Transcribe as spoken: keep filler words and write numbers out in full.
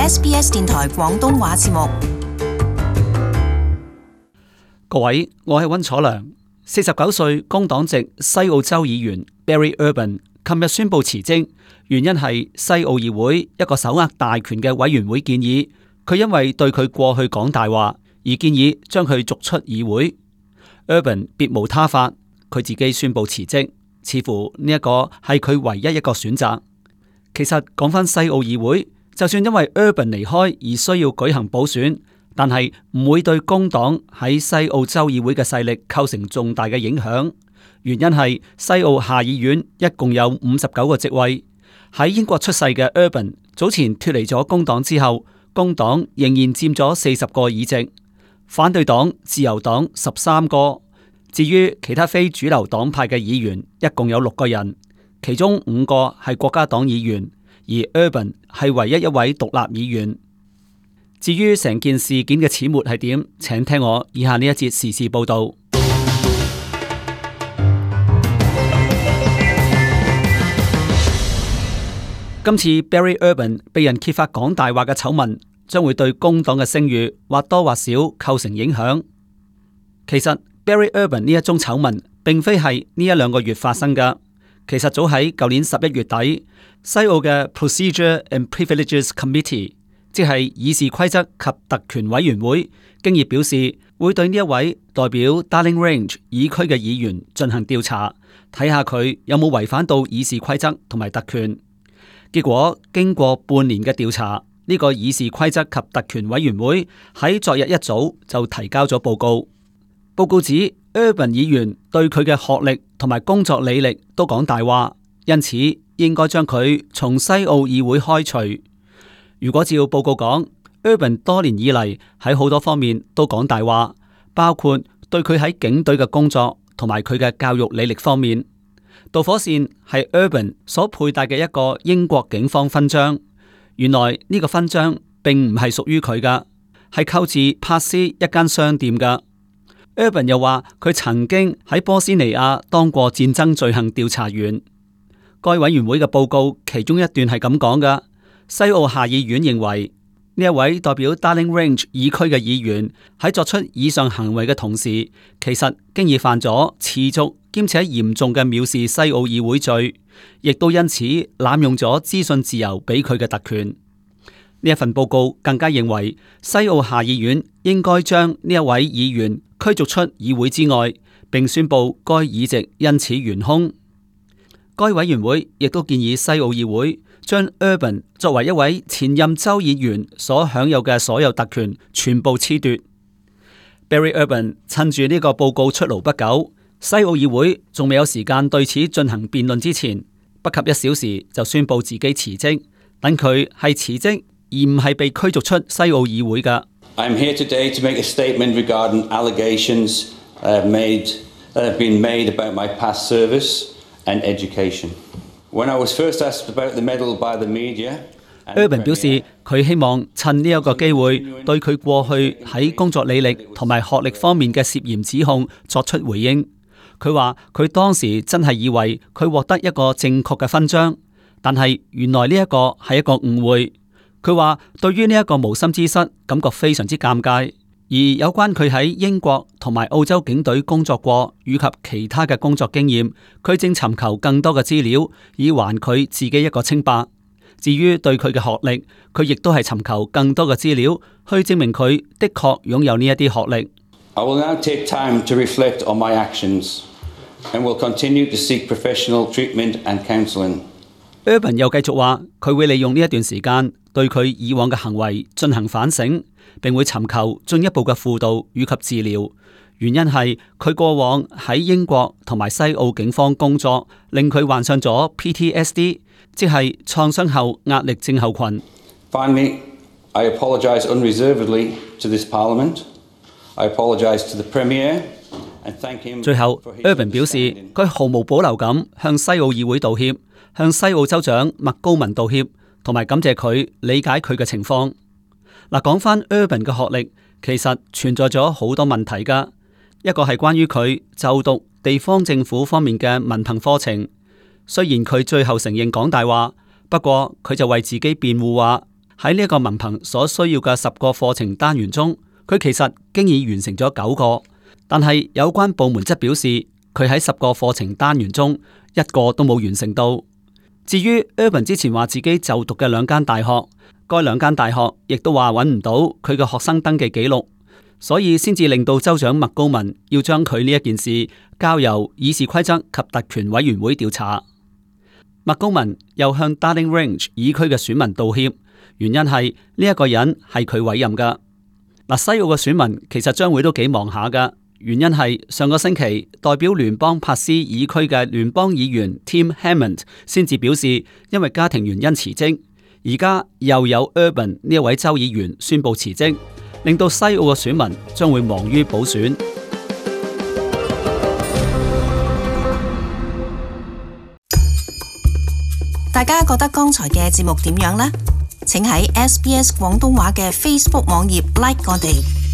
S B S 電台廣東話節目。各位，我係溫楚良。四十九歲工黨籍西澳州議員 Barry Urban 琴日宣布辭職，原因係西澳議會一個手握大權嘅委員會建議佢因為對佢過去講大話而建議將佢逐出議會。Urban 別無他法，佢自己宣布辭職，似乎呢一個係佢唯一一個選擇。其實講返西澳議會，就算因為 Urban 離開而需要舉行補選，但係唔會對工黨喺西澳州議會嘅勢力構成重大嘅影響。原因係西澳下議院一共有五十九個席位。喺英國出世嘅 Urban 早前脫離咗工黨之後，工黨仍然佔咗四十個議席，反對黨、自由黨十三個。至於其他非主流黨派嘅議員，一共有六個人，其中五個係國家黨議員，而 Urban 係唯一一位獨立議員。至於成件事件嘅始末係點，請聽我以下呢一節時事報道。今次 Barry Urban 被人揭發講大話嘅醜聞，將會對工黨嘅聲譽或多或少構成影響。其實 Barry Urban 呢一宗醜聞並非係呢一兩個月發生㗎，其實早喺舊年十一月底，西澳嘅 Procedure and Privileges Committee， 即係議事規則及特權委員會，經已表示會對呢一位代表 Darling Range 議區嘅議員進行調查，睇下佢有冇違反到議事規則同埋特權。結果經過半年嘅調查，呢個議事規則及特權委員會喺昨日一早就提交咗報告。報告指 Urban 議員對佢嘅學歷同埋工作履歷都講大話，因此應該將佢從西澳議會開除。如果照報告講， Urban 多年以嚟喺好多方面都講大話，包括對佢喺警隊嘅工作同埋佢嘅教育履歷方面。導火線係 Urban 所佩戴嘅一個英國警方勳章，原來呢個勳章並唔係屬於佢噶，係購自珀斯一間商店噶。Urban 又話佢曾經喺波斯尼亞當過戰爭罪行調查員。該委員會嘅報告其中一段係咁講噶：西澳下議院認為呢一位代表 Darling Range 議區嘅議員喺作出以上行為嘅同時，其實經已犯咗持續兼且嚴重嘅藐視西澳議會罪，亦都因此濫用咗資訊自由俾佢嘅特權。呢一份報告更加認為西澳下議院應該將呢一位議員驅逐出議會之外，並宣布該議席因此懸空。該委員會亦都建議西澳議會將 Urban 作為一位前任州議員所享有嘅所有特權全部褫奪。Barry Urban 趁住呢個報告出爐不久，西澳議會仲未有時間對此進行辯論之前，不及一小時就宣布自己辭職，等佢係辭職而唔係被驅逐出西澳議會㗎。I am here today to make a statement regarding allegations uh, made that have been made about my past service and education. When I was first asked about the medal by the media, Urban 表示佢希望趁呢一個機會對佢過去喺工作履歷同埋學歷方面嘅涉嫌指控作出回應。佢話佢當時真係以為佢獲得一個正確嘅勳章，但係原來呢一個係一個誤會。佢話對於呢一個無心之失感覺非常之尷尬，而有關佢喺英國同埋澳洲警隊工作過以及其他嘅工作經驗，佢正尋求更多嘅資料以還佢自己一個清白。至於對佢嘅學歷，佢亦都係尋求更多嘅資料去證明佢的確擁有呢一啲學歷。I will now take time to reflect on my actions and will continue to seek professional treatment and counseling. Urban 又繼續話，佢會利用呢一段時間對佢以往嘅行為進行反省，並會尋求進一步嘅輔導與及治療。原因係佢過往喺英國同埋西澳警方工作，令佢患上咗 P T S D， 即係創傷後壓力症候群。Finally, I apologize unreservedly to this Parliament. I apologize to the Premier and thank him. 最後 ，Urban 表示佢毫無保留咁向西澳議會道歉，向西澳州長麥高文道歉，同埋感謝佢理解佢嘅情況。嗱，講翻 Urban 嘅學歷，其實存在咗好多問題噶。一個係關於佢就讀地方政府方面嘅文憑課程，雖然佢最後承認講大話，不過佢就為自己辯護話喺呢一個文憑所需要嘅十個課程單元中，佢其實經已完成咗九個，但係有關部門則表示佢喺十個課程單元中一個都冇完成到。至於 Urban 之前話自己就讀嘅兩間大學，該兩間大學亦都話揾唔到佢嘅學生登記記錄，所以先至令到州長麥高文要將佢呢一件事交由議事規則及特權委員會調查。麥高文又向 Darling Range 議區嘅選民道歉，原因係呢一個人係佢委任噶。嗱，西澳嘅選民其實將會都幾忙下噶，原因係上個星期代表聯邦帕斯議區嘅聯邦議員 Tim Hammond 先至表示因為家庭原因辭職，而家又有 Urban 呢一位州議員宣布辭職，令到西澳嘅選民將會忙於補選。大家覺得剛才嘅節目點樣呢？請喺 S B S 廣東話嘅 Facebook 網頁 like 我哋。